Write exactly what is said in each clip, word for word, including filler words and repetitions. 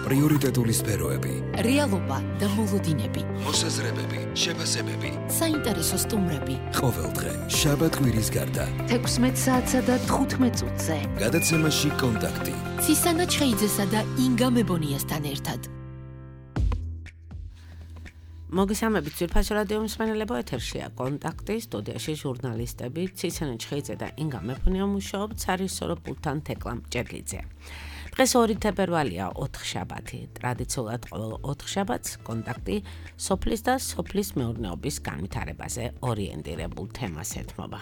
პრიორიტეტული სფეროები, რეალობა და მოლოდინები, მოსაზრებები, შეფასებები, საინტერესო სტუმრები. ყოველდღე შაბათ კვირის გარდა თექვსმეტ საათსა და თხუთმეტ წუთზე. გადაცემაში კონტაქტი. ცისანა ჩხეიძესა და ინგა მებონიასთან ერთად. მოგესალმებით ძვირფასო რადიო მსმენელებო, ეთერშია კონტაქტი, სტუდიაში ჟურნალისტები ცისანა ჩხეიძე და ინგა მებონია მუშაობთ სარისორო პულტთან თეკლა მჭედლიძე. დღეს ორი თებერვალია, ოთხშაბათი. ტრადიციულად ყოველ ოთხშაბათს კონტაქტი სოფლის და სოფლის მეურნეობის განვითარებაზე ორიენტირებულ თემას ეთმობა.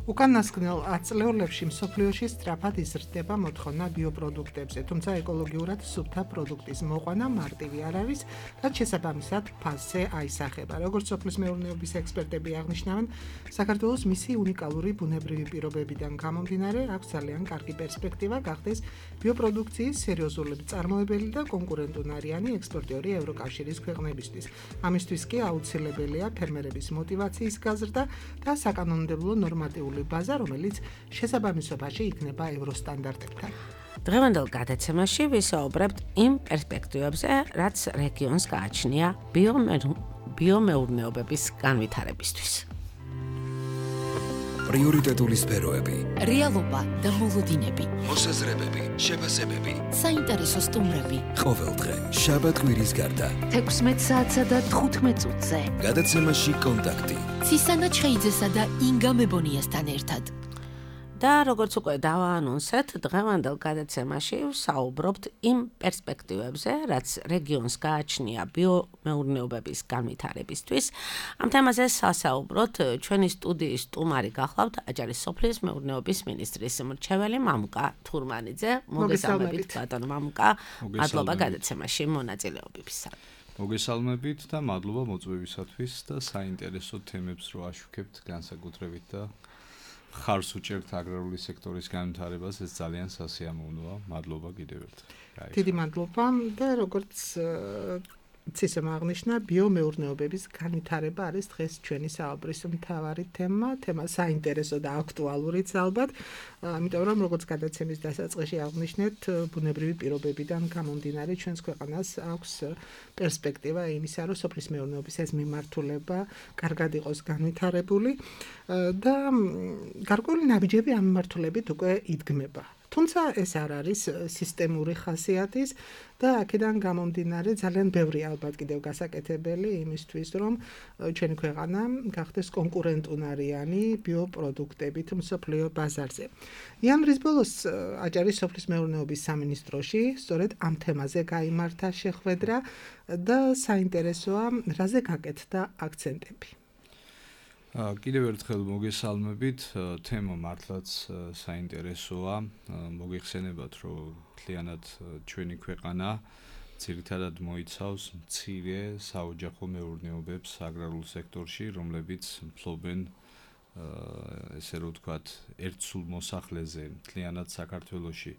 უკანასკნელ ათწლეულებში მსოფლიოში სწრაფად იზრდება მოთხოვნა ბიოპროდუქტებზე, თუმცა ეკოლოგიურად სუფთა პროდუქტის მოყვანა მარტივი არ არის, რაც შესაბამისად ფასზე აისახება. როგორც სოფლის მეურნეობის ექსპერტები აღნიშნავენ, საქართველოს მისი უნიკალური ბუნებრივი პირობებიდან გამომდინარე, აქვს ძალიან კარგი პერსპექტივა გახდეს ბიოპროდუქციის სერიოზული მწარმოებელი და კონკურენტუნარიანი ექსპორტიორი ევროკავშირის ქვეყნებისთვის. ამისთვის კი აუცილებელია ფერმერების მოტივაციის გაზრდა და საკანონმდებლო ნორმატიული ბაზა, რომელიც შესაბამისობაში იქნება ევროსტანდარტებთან. დღევანდელ გადაცემაში ვისაუბრებთ იმ პერსპექტივებზე, რაც რეგიონს გააჩნია ბიომეურნეობების განვითარებისთვის. პრიორიტეტული სფეროები, რეალობა და მოლოდინები, მოსაზრებები, შეფასებები, საინტერესო სტუმრები. ყოველდღე შაბათ კვირის გარდა თექვსმეტ საათსა და თხუთმეტ წუთზე. გადაცემაში კონტაქტი. ცისანა ჩხეიძესა და ინგა მებონიასთან ერთად. და როგორც უკვე დავაანონსეთ, დღევანდელ გადაცემაში ვსაუბრობთ იმ პერსპექტივებზე, რაც რეგიონს გააჩნია ბიომეურნეობების განვითარებისთვის. ამ თემაზე სასაუბროთ ჩვენი სტუდიის სტუმარი გახლავთ აჭარის სოფლის მეურნეობის მინისტრის მრჩეველი მამუკა თურმანიძე. მოგესალმებით ბატონო მამუკა, მადლობა გადაცემაში მონაწილეობისთვის. მოგესალმებით და მადლობა მოწვევისათვის და საინტერესო თემებს რო აშუქებთ განსაკუთრებით და ხარს უჭერთ აგრარული სექტორის განვითარებას, ეს ძალიან სასიამოვნოა. მადლობა კიდევ ერთხელ. დიდი მადლობა და როგორც ცისამ აღნიშნა, ბიომეურნეობების განვითარება არის დღეს ჩვენი საუბრის მთავარი თემა, თემა საინტერესო და აქტუალურიც ალბათ, ამიტომ რომ როგორც გადაცემის დასაწყისში აღნიშნეთ, ბუნებრივი პირობებიდან გამომდინარე ჩვენს ქვეყანას აქვს პერსპექტივა იმისა, რომ სოფლის მეურნეობის ეს მიმართულება კარგად იყოს განვითარებული და გარკვეული ნაბიჯები ამ მიმართულებით უკვე იდგმება. თუმცა ეს არ არის სისტემური ხასიათის და აქედან გამომდინარე ძალიან ბევრი ალბათ კიდევ გასაკეთებელი იმისთვის, რომ ჩვენი ქვეყანა გახდეს კონკურენტუნარიანი ბიოპროდუქტებით მსოფლიო ბაზარზე. იანვრის ბოლოს აჭარის სოფლის მეურნეობის სამინისტროში სწორედ ამ თემაზე გაიმართა შეხვედრა და საინტერესოა, რაზე გაკეთდა აქცენტები. კიდევ ერთხელ მოგესალმებით, თემა მართლაც საინტერესოა. მოგეხსენებათ, რომ მთლიანად ჩვენი ქვეყანა ძირითადად მოიცავს მცირე საოჯახო მეურნეობებს აგრარულ სექტორში, რომლებიც ფლობენ ესე რომ ვთქვათ, ერთ სულ მოსახლეზე მთლიანად საქართველოში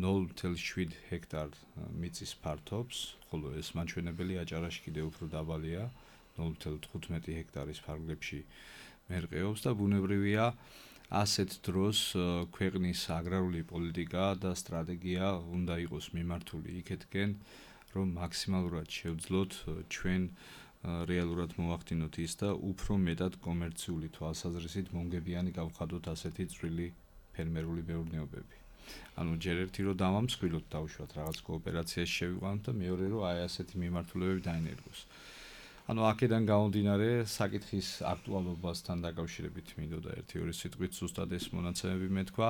ნულ ათეულს შვიდ ჰექტარ მიწის ფართობს, ხოლო ეს მაჩვენებელი აჭარაში კიდევ უფრო დაბალია. ნულ ათეულს თხუთმეტი ჰექტარის ფარგლებში მერყეობს და ბუნებრივია ასეთ დროს ქვეყნის აგრარული პოლიტიკა და სტრატეგია უნდა იყოს მიმართული იქეთკენ, რომ მაქსიმალურად შევძლოთ ჩვენ რეალურად მოვახდინოთ ის და უფრო მეტად კომერციული თვალსაზრისით მომგებიანი გავხადოთ ასეთი წვრილი ფერმერული მეურნეობები. ანუ ჯერ ერთი რომ დავამსხვილოთ დავუშვათ რაღაც კოოპერაციაში შევიყვანოთ და მეორე რომ აი ასეთი მიმართულებები დაენერგოს. ანუ აქედან გამომდინარე საკითხის აქტუალობასთან დაკავშირებით მინდოდა ერთი-ორი სიტყვით ზუსტად ეს მონაცემები მეთქვა.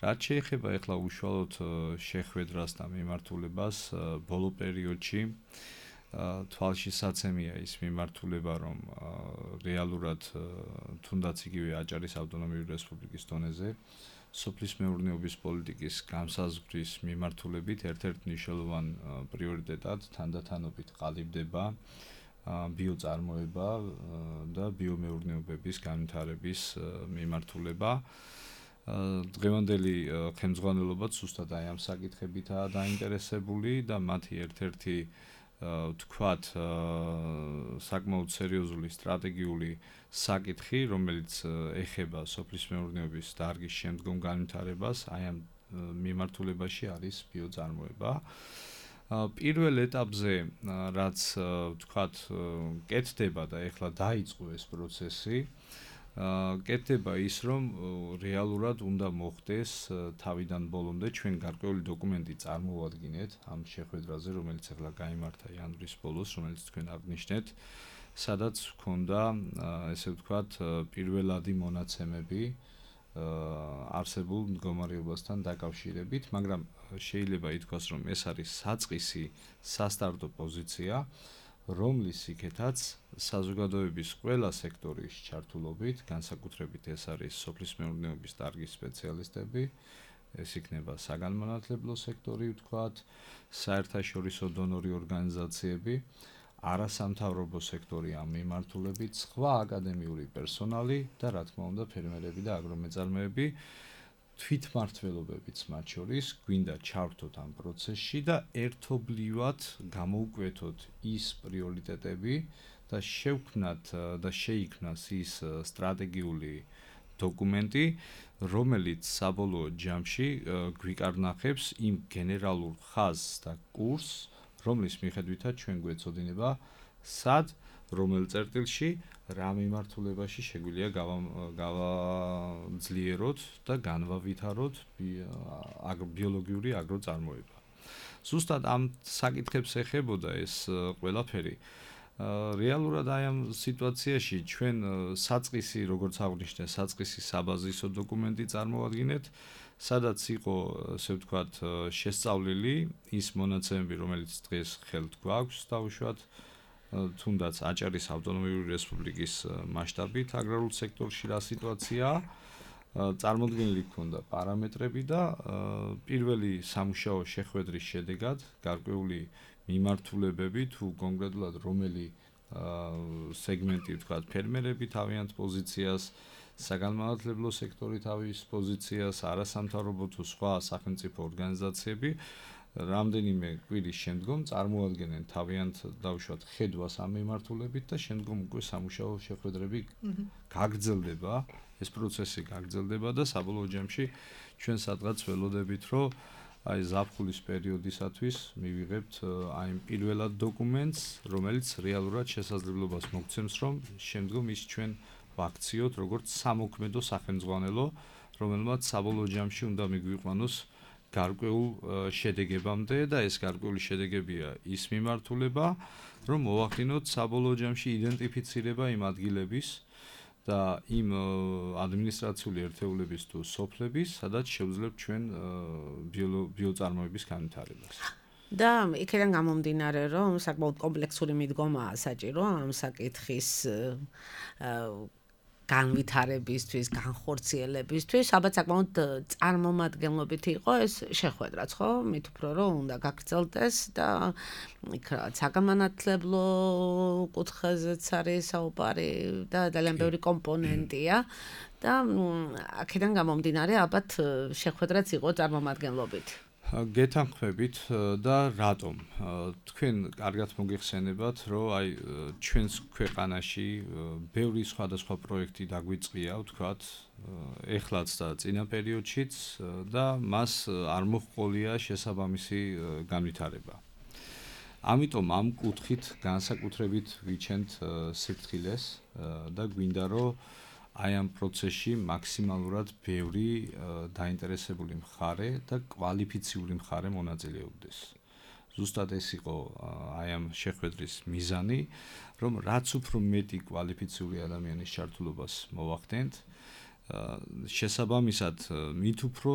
რაც შეეხება ახლა უშუალოდ შეხვედრას და მიმართულებას, ბოლო პერიოდში თვალშისაცემია ის მიმართულება, რომ რეალურად თუნდაც იგივე აჭარის ავტონომიური რესპუბლიკის დონეზე სოფლის მეურნეობის პოლიტიკის განსაზღვრის მიმართულებით ერთ-ერთ მნიშვნელოვან პრიორიტეტად თანდათანობით ყალიბდება ბიოწარმოება და ბიომეურნეობების განვითარების მიმართულება. დღევანდელი ხელმძღვანელობა ზუსტად აი ამ საკითხებითაა დაინტერესებული და მათი ერთ-ერთი ვთქვათ საკმაოდ სერიოზული სტრატეგიული საკითხი, რომელიც ეხება სოფლის მეურნეობის დარგის შემდგომ განვითარებას, აი ამ მიმართულებაში არის ბიოწარმოება. პირველ ეტაპზე რაც ვთქვათ კეთდება და ეხლა დაიწყო ეს პროცესი კეთდება ის რომ რეალურად უნდა მოხდეს თავიდან ბოლომდე ჩვენ გარკვეული დოკუმენტი წარმოვადგინეთ ამ შეხვედრაზე რომელიც ეხლა გაიმართა იანვრის ბოლოს რომელიც თქვენ აღნიშნეთ სადაც ჰქონდა ესე ვთქვათ პირველადი მონაცემები არსებულ მდგომარეობასთან დაკავშირებით, მაგრამ შეიძლება ითქვას, რომ ეს არის საწყისი სასტარტო პოზიცია, რომლის იქეთაც საზოგადოების ყველა სექტორის ჩართულობით, განსაკუთრებით ეს არის სოფლის მეურნეობის დარგის სპეციალისტები, ეს იქნება საგანმანათლებლო სექტორი, ვთქვათ, საერთაშორისო დონორი ორგანიზაციები, არასამთავრობო სექტორი ამ მიმართულებით, სხვა აკადემიური პერსონალი და რა თქმა უნდა ფერმერები და აგრომეწარმეები თვითმმართველობებიც მათ შორის გვინდა ჩავრთოთ ამ პროცესში და ერთობლივად გამოვკვეთოთ ის პრიორიტეტები და შევქმნათ და შეიქმნას ის სტრატეგიული დოკუმენტი, რომელიც საბოლოო ჯამში გვიკარნახებს იმ გენერალურ ხაზს და კურსს, რომლის მიხედვითაც ჩვენ გვეცოდინება სად რომელ წერტილში რა მიმართულებაში შეგვიძლია გავაძლიეროთ და განვავითაროთ ბიოლოგიური აგროწარმოება. ზუსტად ამ საკითხებს ეხებოდა ეს ყველაფერი. რეალურად აი ამ სიტუაციაში ჩვენ საწყისი, როგორც აღნიშნე, საწყისი საბაზისო დოკუმენტი წარმოვადგინეთ, სადაც იყო, ასე ვთქვათ, შესწავლილი ის მონაცემები, რომელიც დღეს ხელთ გვაქვს დაუშვათ, თუნდაც აჭარის ავტონომიური რესპუბლიკის მასშტაბით აგრარულ სექტორში რა სიტუაციაა, წარმოდგენილი ჰქონდა პარამეტრები და პირველი სამუშაო შეხვედრის შედეგად გარკვეული მიმართულებები თუ კონკრეტულად რომელი სეგმენტი, ვთქვათ, ფერმერები თავიანთ პოზიციას საგანმანათლებლო სექტორი თავის პოზიციას, არასამთავრობო თუ სხვა სახელმწიფო ორგანიზაციები რამდენიმე კვირის შემდგომ წარმოადგენენ თავიანთ დაუშვათ ხედვას ამ მიმართულებით და შემდგომ უკვე სამუშაო შეხვედრები გაგრძელდება, ეს პროცესი გაგრძელდება და საბოლოო ჯამში ჩვენ სადღაც ველოდებით, რომ აი ზაფხულის პერიოდისათვის მივიღებთ აი პირველად დოკუმენტს, რომელიც რეალურად შესაძლებლობას მოგცემს, რომ შემდგომ ის ჩვენ ვაქციოთ როგორც სამოქმედო სახელმძღვანელო, რომელმაც საბოლოო ჯამში უნდა მიგვიყვანოს გარკვეულ შედეგებამდე და ეს გარკვეული შედეგებია ის მიმართულება, რომ მოვახდინოთ საბოლოო ჯამში იდენტიფიცირება იმ ადგილების და იმ ადმინისტრაციული ერთეულების თუ სოფლების, სადაც შევძლებთ ჩვენ ბიოწარმოების განვითარებას. და იქიდან გამომდინარე, რომ საკმაოდ კომპლექსური მიდგომაა საჭირო ამ საკითხის განვითარებისთვის, განხორციელებისთვის, ალბათ საკმაოდ წარმომადგენლობითი იყო ეს შეხვედრაც, ხო? მით უფრო რომ უნდა გაგრძელდეს და იქ რაღაც საგანმანათლებლო კუთხეზეც არის საუბარი და ძალიან ბევრი კომპონენტია და აქედან გამომდინარე, ალბათ შეხვედრაც იყო წარმომადგენლობითი. გეთანხმებით და რატომ? თქვენ კარგად მოგიხსენებათ, რომ აი ჩვენს ქვეყანაში ბევრი სხვადასხვა პროექტი დაგვიწყია, ვთქვათ, ეხლაც და წინა პერიოდშიც და მას არ მოჰყოლია შესაბამისი განვითარება. ამიტომ ამ კუთხით განსაკუთრებით ვიჩენთ სიფრთხილეს და გვინდა რომ აი ამ პროცესში მაქსიმალურად ბევრი დაინტერესებული მხარე და კვალიფიციური მხარე მონაწილეობდეს. ზუსტად ეს იყო აი ამ შეხვედრის მიზანი, რომ რაც უფრო მეტი კვალიფიციური ადამიანის ჩართულობას მოვახდენთ, შესაბამისად მით უფრო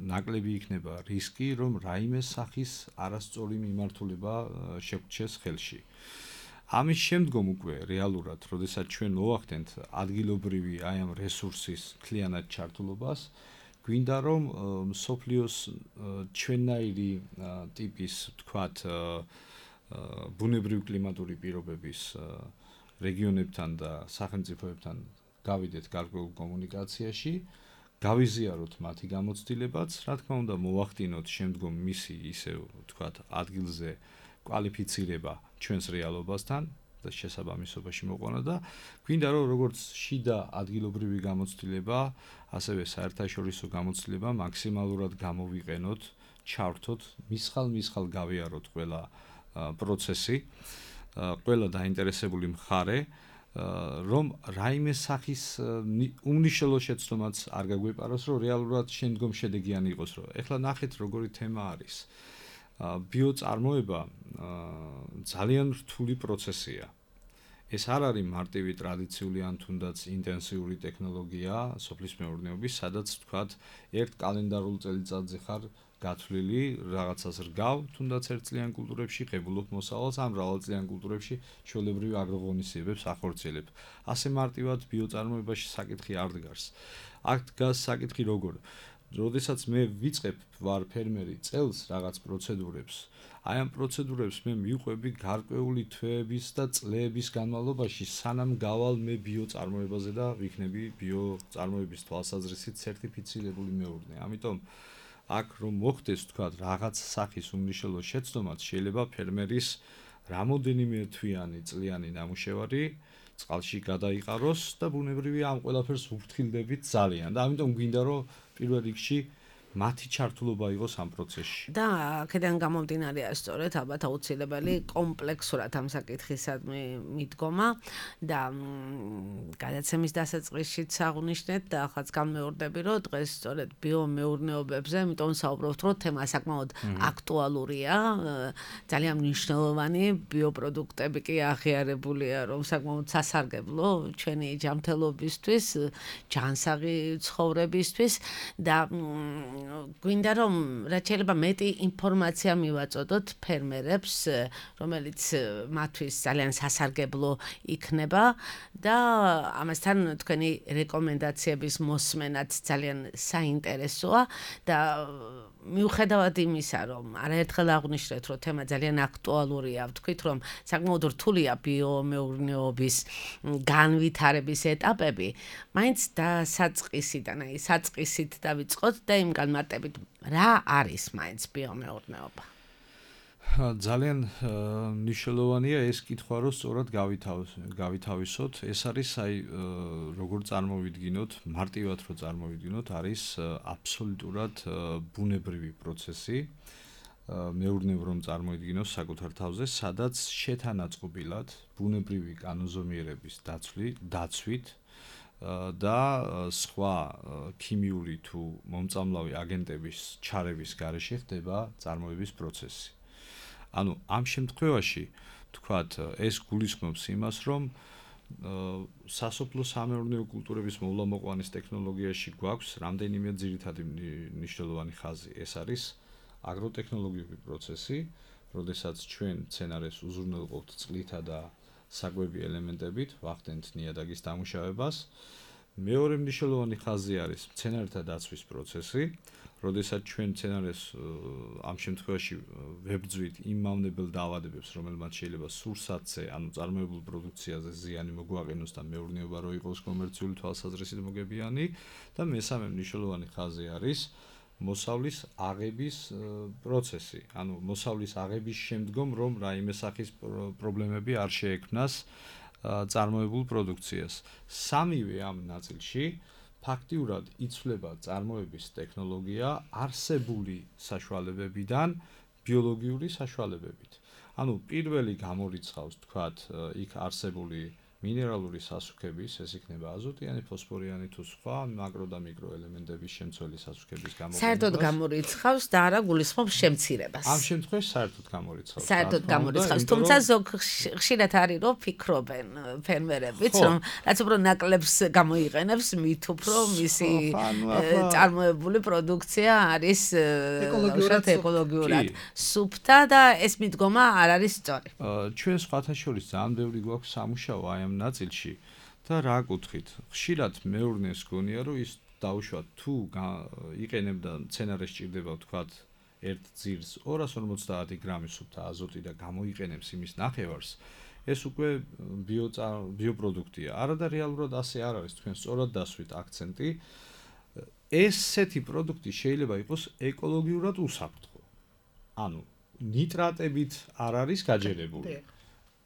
ნაკლები იქნება რისკი, რომ რაიმე სახის არასწორი მიმართულება შეგვჩეს ხელში. ამის შემდგომ უკვე რეალურად, როდესაც ჩვენ მოვახდენთ ადგილობრივი აი ამ რესურსის მთლიანად ჩართულობას, გვინდა რომ მსოფლიოს ჩვენნაირი ტიპის, ვთქვათ, ბუნებრივი კლიმატური პირობების რეგიონებთან და სახელმწიფოებთან გავიდეთ გარკვეულ კომუნიკაციაში, გავიზიაროთ მათი გამოცდილებაც, რა თქმა უნდა, მოვახდინოთ შემდგომ მისი ისე, ვთქვათ, ადგილზე კვალიფიცირება ჩვენს რეალობასთან და შესაბამისობაში მოყვანა და გვინდა რომ როგორც შიდა ადგილობრივი გამოცდილება, ასევე საერთაშორისო გამოცდილება მაქსიმალურად გამოვიყენოთ ჩავრთოთ, მისხალ-მისხალ გავიაროთ ყველა პროცესი, ყველა დაინტერესებული მხარე, რომ რაიმე სახის უმნიშვნელო შეცდომაც არ გაგვეპაროს, რომ რეალურად შემდგომ შედეგიანი იყოს, რომ ეხლა ნახეთ როგორი თემა არის. ბიოწარმოება ძალიან რთული პროცესია. ეს არ არის მარტივი ტრადიციული ან თუნდაც ინტენსიური ტექნოლოგია სოფლის მეურნეობის, სადაც თქვათ ერთ კალენდარულ წელიწადზე ხარ გათვლილი, რაღაცას რგავ, თუნდაც ერთწლიან კულტურებში ღებულობ მოსავალს, ან მრავალწლიან კულტურებში ჩვეულებრივი აგროღონისძიებებს ახორციელებ. ასე მარტივად ბიოწარმოებაში საკითხი არ დგას. აქ დგას საკითხი როგორ? როდესაც მე ვიწყებ ვარ ფერმერი წელს რაღაც პროცედურებს, აი ამ პროცედურებს მე მივყვები გარკვეული თვეების და წლების განმავლობაში, სანამ გავალ მე ბიოწარმოებაზე და ვიქნები ბიოწარმოების თვალსაზრისით სერტიფიცირებული მეურნე. ამიტომ აქ რომ მოხდეს თქვა რაღაც სახის უმნიშვნელო შეცდომაც, შეიძლება ფერმერის რამოდენიმე თვიანი წლიანი ნამუშევარი წყალში გადაიყაროს და ბუნებრივია ამ ყველაფერს ვფრთხილდებით ძალიან და ამიტომ გვინდა რომ პირველ რიგში მათი ჩართულობა იყოს ამ პროცესში. და აქედან გამომდინარეა სწორედ ალბათ აუცილებელი კომპლექსურად ამ საკითხისადმი მიდგომა და გადაცემის დასაწყისშიც აღნიშნეთ და ახაც განმეორდები, რომ დღეს სწორედ ბიომეურნეობებზე, იმიტომ საუბრობთ, რომ თემა საკმაოდ აქტუალურია, ძალიან მნიშვნელოვანი ბიოპროდუქტები კი აღიარებულია, რომ საკმაოდ სასარგებლო ჩვენი ჯანმრთელობისთვის, ჯანსაღი ცხოვრებისთვის და გვინდა რომ რაც შეიძლება მეტი ინფორმაცია მივაწოდოთ ფერმერებს, რომელიც მათთვის ძალიან სასარგებლო იქნება და ამასთან თქვენი რეკომენდაციების მოსმენაც ძალიან საინტერესოა და მიუხედავად იმისა, რომ არაერთხელ აღვნიშნეთ, რომ თემა ძალიან აქტუალურია, ვთქვით, რომ საკმაოდ რთულია ბიომეურნეობის განვითარების ეტაპები, მაინც დასაწყისიდან, აი საწყისით დავიწყოთ და იმ განმარტებით, რა არის მაინც ბიომეურნეობა? ძალიან მნიშვნელოვანია ეს კითხვა, რომ სწორად გავითავისოთ. ეს არის აი როგორ წარმოვიდგინოთ, მარტივად რო წარმოვიდგინოთ, არის აბსოლუტურად ბუნებრივი პროცესი. მეურნეობ რომ წარმოიდგინოს საკუთარ თავზე, სადაც შეთანაწყობილად ბუნებრივი კანონზომიერების დაცვით და სხვა ქიმიური თუ მომწამლავი აგენტების ჩარების გარეშე ხდება წარმოების პროცესი. ანუ ამ შემთხვევაში თქვათ ეს გულისხმობს იმას, რომ სასოფლო სამეურნეო კულტურების მოვლამოყვანის ტექნოლოგიაში გვაქვს რამდენიმე ძირითადი მნიშვნელოვანი ხაზი. ეს არის აგროტექნოლოგიური პროცესი, როდესაც ჩვენ მცენარეს უზრუნველყოფთ წყლითა და საკვები ელემენტებით, ვახდენთ ნიადაგის დამუშავებას. მეორე მნიშვნელოვანი ხაზი არის მცენარეთა დაცვის პროცესი, როდესაც ჩვენ მცენარეს ამ შემთხვევაში ვებრძვით იმ მავნებელ დაავადებებს, რომელმაც შეიძლება სურსათზე, ანუ წარმოებულ პროდუქციაზე ზიანი მოგვაყენოს და მეურნეობა რო იყოს კომერციული თვალსაზრისით მოგებიანი და მესამე მნიშვნელოვანი ხაზი არის მოსავლის აღების პროცესი, ანუ მოსავლის აღების შემდგომ რომ რაიმე სახის პრობლემები არ შეექმნას წარმოებულ პროდუქციას. სამივე ამ ნაწილში ფაქტიურად იცვლება წარმოების ტექნოლოგია არსებული საშუალებებიდან ბიოლოგიური საშუალებებით. ანუ პირველი გამორიცხავს, თქვათ, იქ არსებული მინერალური სასუქების, ეს იქნება აზოტიანი, ფოსფორიანი თუ სხვა მაკრო და მიკრო ელემენტების შემცველი სასუქების გამოყენებას. საერთოდ გამორიცხავს და არა გულისხმობს შემცირებას. ამ შემთხვევაში საერთოდ გამორიცხავს. საერთოდ გამორიცხავს, თუმცა ზოგ ხშირად არის რომ ფიქრობენ ფერმერებიც, რომ რაც უფრო ნაკლებს გამოიყენებს, მით უფრო მისი წარმოებული პროდუქცია არის ეკოლოგიურად სუფთა და ეს მიდგომა არ არის სწორი. ჩვენ სხვათა შორის ძალიან ბევრი გვაქვს სამუშაო აი ამ ნაწილში და რა კუთხით? ხშირად მეურნეს გონია, რომ ის დაუშვათ თუ იყენებდა მცენარეს ჭირდება ვთქვათ ერთ ძირს ორას ორმოცდაათი გრამი სუფთა აზოტი და გამოიყენებს იმის ნახევარს, ეს უკვე ბიოპროდუქტია. არა და რეალურად ასე არ არის, თქვენ სწორად დასვით აქცენტი. ესეთი პროდუქტი შეიძლება იყოს ეკოლოგიურად უსაფრთხო. ანუ ნიტრატებით არ არის გაჯერებული.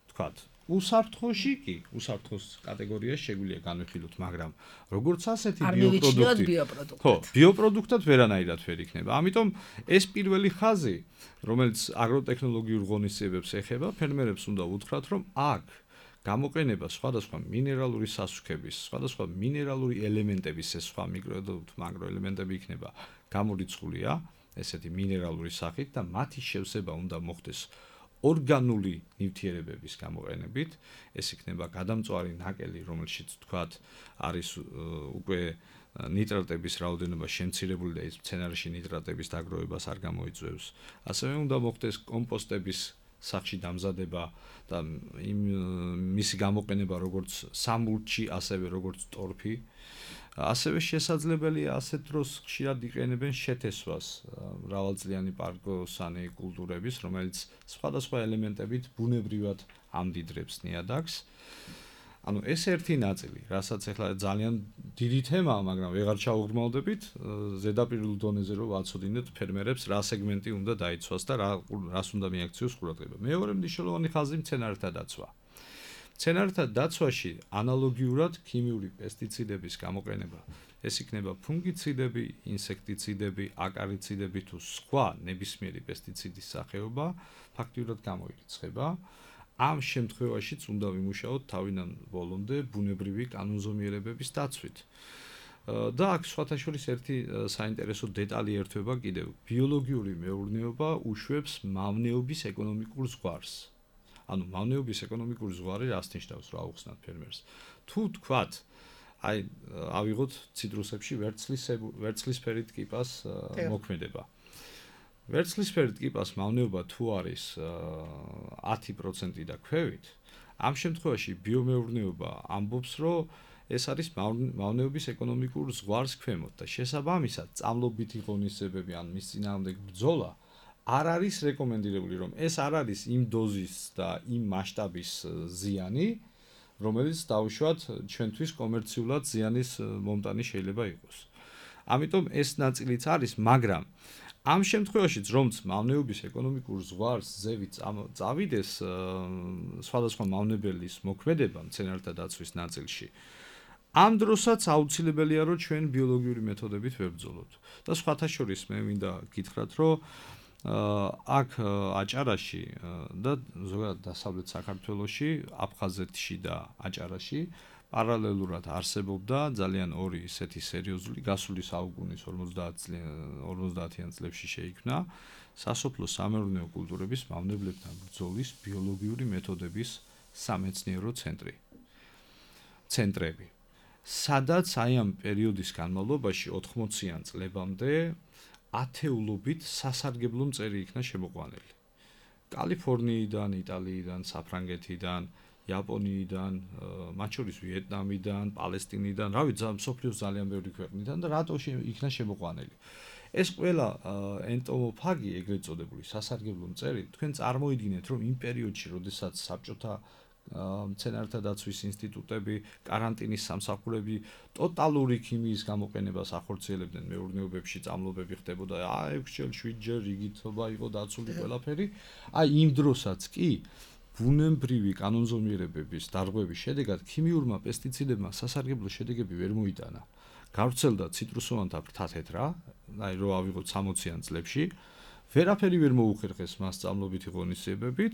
თქვათ უსაფრთხოში კი, უსაფრთხოს კატეგორიაში შეგვიძლია განვიხილოთ, მაგრამ როგორც ასეთი არ მივიჩნიოთ ბიოპროდუქტი, ბიოპროდუქტად. ხო, ბიოპროდუქტად ვერანაირად ვერ იქნება. ამიტომ ეს პირველი ხაზი, რომელიც აგროტექნოლოგიურ ღონისძიებებს ეხება, ფერმერებს უნდა უთხრათ, რომ აქ გამოყენება სხვადასხვა მინერალური სასუქების, სხვადასხვა მინერალური ელემენტების, ეს სხვა მიკრო და მაგრო ელემენტები იქნება გამორიცხულია, ესეთი მინერალური სახით და მათი შევსება უნდა მოხდეს ორგანული ნივთიერებების გამოყენებით, ეს იქნება გადამწვარი ნაკელი, რომელშიც თქვათ არის უკვე ნიტრატების რაოდენობა შემცირებული და ის მცენარეში ნიტრატების დაგროვებას არ გამოიწვევს. ასევე უნდა მოხდეს კომპოსტების სახში დამზადება და იმ მისი გამოყენება როგორც სამულჩი, ასევე როგორც ტორფი. ასევე შესაძლებელია ასეთ დროს ხშირად იყენებენ შეთესვას მრავალწლიანი პარკოსანი კულტურების, რომელიც სხვადასხვა ელემენტებით ბუნებრივად ამდიდრებს ნიადაგს. ანუ ეს ერთი ნაწილი, რასაც ახლა ძალიან დიდი თემაა, მაგრამ ვეღარ ჩავუღრმავდებით, ზედაპირულ დონეზე რომ ვაცოდინეთ ფერმერებს რა სეგმენტი უნდა დაიცვას და რა რას უნდა მიაქციოს ყურადღება. მეორე მნიშვნელოვანი ხაზი მცენარეთა დაცვა. მცენარეთა დაცვაში ანალოგიურად ქიმიური პესტიციდების გამოყენება, ეს იქნება ფუნგიციდები, ინსექტიციდები, აკარიციდები თუ სხვა ნებისმიერი პესტიციდის სახეობა, ფაქტიურად გამოირიცხება. ამ შემთხვევაშიც უნდა ვიმუშაოთ თავიდან ბოლომდე ბუნებრივი კანონზომიერებების დაცვით. და აქ სხვათა შორის ერთი საინტერესო დეტალი ერთვება კიდევ. ბიოლოგიური მეურნეობა უშვებს მავნეობის ეკონომიკურ ზღვარს. ანუ მავნეობის ეკონომიკური ზღვარი რას ნიშნავს, რა უხსნათ ფერმერს. თუ თქვათ, აი ავიღოთ ციტრუსებში ვერცხლის ვერცხლისფერით კიპას მოქმედება. ვერცხლისფერით კიპას მავნეობა თუ არის ათი პროცენტი და ქვევით, ამ შემთხვევაში ბიომეურნეობა ამბობს, რომ ეს არის მავნეობის ეკონომიკურ ზღვარს ქვემოთ და შესაბამისად წამლობითი ღონისძიებები ან მის წინააღმდეგ ბრძოლა არ არის რეკომენდირებული, რომ ეს არ არის იმ დოზის და იმ მასშტაბის ზიანი, რომელიც დაუშვათ ჩვენთვის კომერციულად ზიანის მომტანი შეიძლება იყოს. ამიტომ ეს ნაწილიც არის, მაგრამ ამ შემთხვევაშიც რომც მავნეობის ეკონომიკურ ზღვარს ზევით წავიდეს სხვადასხვა მავნებელის მოქმედება მცენარეთა დაცვის ნაწილში, ამ დროსაც აუცილებელია, რომ ჩვენ ბიოლოგიური მეთოდებით ვებრძოლოთ. და სხვათა შორის მე მინდა გითხრათ, რომ აქ აჭარაში და ზოგადად დასავლეთ საქართველოში, აფხაზეთში და აჭარაში პარალელურად არსებობდა ძალიან ორი ისეთი სერიოზული გასული საუკუნის ორმოცდაათიან წლებში შეიქმნა სასოფლო სამეურნეო კულტურების მავნებლებთან ბრძოლის ბიოლოგიური მეთოდების სამეცნიერო ცენტრი. ცენტრები. სადაც აი ამ პერიოდის განმავლობაში ოთხმოციან წლებამდე ათეულობით სასარგებლო მწერი იქნა შემოყვანილი. კალიფორნიიდან, იტალიიდან, საფრანგეთიდან, იაპონიიდან, მათ შორის ვიეტნამიდან, პალესტინიდან, რავი, მსოფლიოს ძალიან ბევრი ქვეყნიდან და რატო იქნა შემოყვანილი. ეს ყველა ენტომოფაგი, ეგრეთ წოდებული სასარგებლო მწერი, თქვენ წარმოიდგინეთ, რომ იმ პერიოდში, როდესაც საბჭოთა მცენარეთა დაცვის ინსტიტუტები, კარანტინის სამსახურები ტოტალური ქიმიის გამოყენებას ახორციელებდნენ მეურნეობებში, წამლობები ხდებოდა ექვსჯერ, შვიდჯერ, რიგითობა იყო დაცული ყველაფერი. აი იმ დროსაც კი ბუნებრივი კანონზომიერებების დარღვევის შედეგად ქიმიურმა პესტიციდებმა სასარგებლო შედეგები ვერ მოიტანა. გავრცელდა ციტრუსოვანთა ფრთათეთრა, აი რო ავიღოთ სამოციან წლებში, ვერაფერი ვერ მოუხერხეს მას წამლობითი ღონისძიებებით,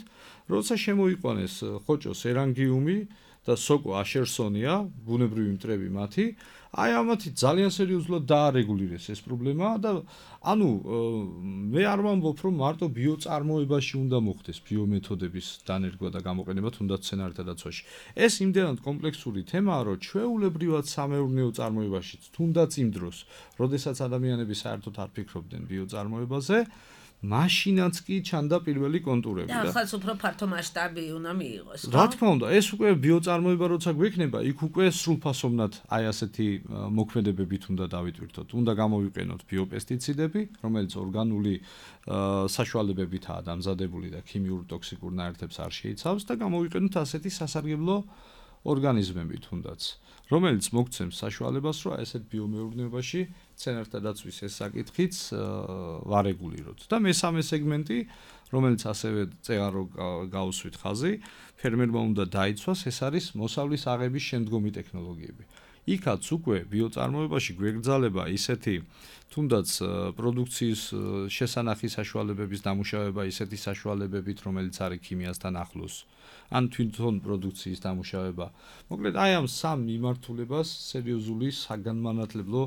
როცა შემოიყვანეს ხოჭო სერანგიუმი და სოკო აშერსონია, ბუნებრივი მტრები მათი, აი ამათი ძალიან სერიოზულად დაარეგულირეს ეს პრობლემა და ანუ მე არ ვამბობ, რომ მარტო ბიოწარმოებაში უნდა მოხდეს ბიომეთოდების დანერგვა და გამოყენება თუნდაც მცენარეთა დაცვაში. ეს იმდენად კომპლექსური თემაა, რომ ჩვეულებრივად სამეურნეო წარმოებაშიც თუნდაც იმ დროს, როდესაც ადამიანები საერთოდ არ ფიქრობდნენ ბიოწარმოებაზე, მაშინაც კი ჩანდა პირველი კონტურები და ახლა უფრო ფართო მასშტაბი უნდა მიიღოს, ხო? რა თქმა უნდა, ეს უკვე ბიოწარმოება როცა გვექნება, იქ უკვე სრულფასოვნად აი ასეთი მოქმედებებით უნდა დავიტვირთოთ. უნდა გამოვიყენოთ ბიოპესტიციდები, რომელიც ორგანული საშუალებებითაა დამზადებული და ქიმიურ ტოქსიკურ ნაერთებს არ შეიცავს და გამოვიყენოთ ასეთი სასარგებლო ორგანიზმები თუნდაც, რომელიც მოგცემს საშუალებას, რომ ესეთ ბიომეურნეობაში მცენარეთა დაცვის ეს საკითხიც ვარეგულიროთ. და მესამე სეგმენტი, რომელიც ასევე წეღან რო გაუსვით ხაზი, ფერმერმა უნდა დაიცვას, ეს არის მოსავლის აღების შემდგომი ტექნოლოგიები. იქაც უკვე ბიოწარმოებაში გვეგრძალება ისეთი თუნდაც პროდუქციის შესანახი საშუალებების დამუშავება ისეთი საშუალებებით, რომელიც არის ქიმიასთან ახლოს, ან თვითონ პროდუქციის დამუშავება. მოკლედ, აი ამ სამ მიმართულებას სერიოზული საგანმანათლებლო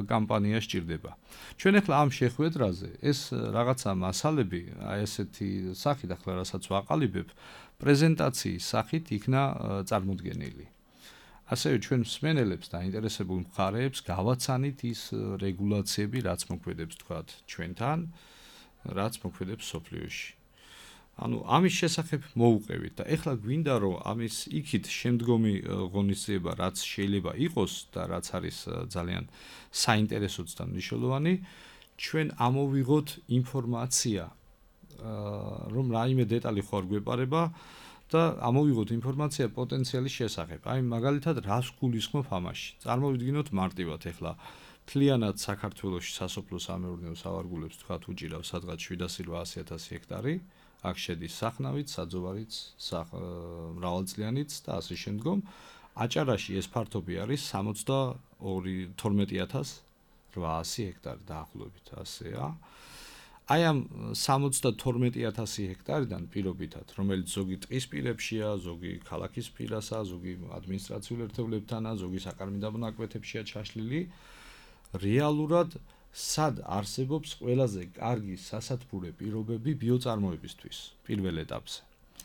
კამპანია სჭირდება. ჩვენ ახლა ამ შეხვედრაზე ეს რაღაცა მასალები, აი ესეთი სახით ახლა რასაც ვაყალიბებ, პრეზენტაციის სახით იქნა წარმოდგენილი. ასევე ჩვენ მსმენელებს და ინტერესებულ მხარეებს გავაცანით ის რეგულაციები, რაც მოქმედებს თქვათ ჩვენთან, რაც მოქმედებს სოფლიოში. ანუ ამის შესახებ მოუყევით და ეხლა გვინდა რომ ამის იქით შემდგომი ღონისძიება რაც შეიძლება იყოს და რაც არის ძალიან საინტერესოც და მნიშვნელოვანი, ჩვენ ამოვიღოთ ინფორმაცია, რომ რაიმე დეტალი ხო არ გვეპარება და ამოვიღოთ ინფორმაცია პოტენციალის შესახებ. აი მაგალითად რას გულისხმობ ამაში? წარმოვიდგინოთ მარტივად ეხლა მთლიანად საქართველოში სასოფლო-სამეურნეო სავარგულებს თქვათ უჭირავს სადღაც შვიდასი ათი ათასი ჰექტარი. აქ შედის სახნავით, საძოვარით, მრავალწლიანით და ასე შემდგომ. აჭარაში ეს ფართობი არის თორმეტი ათას რვაასი ჰექტარი დაახლოებით ასეა. აი ამ თორმეტი ათასი ჰექტარიდან პირობითად, რომელიც ზოგი ტყის პირებშია, ზოგი ქალაქის პირასა, ზოგი ადმინისტრაციულ ერთეულებთანა, ზოგი საკარმიდამო მონაკვეთებშია ჩაშლილი, რეალურად სად არსებობს ყველაზე კარგი სასათბურე პირობები ბიოწარმოებისთვის პირველ ეტაპზე.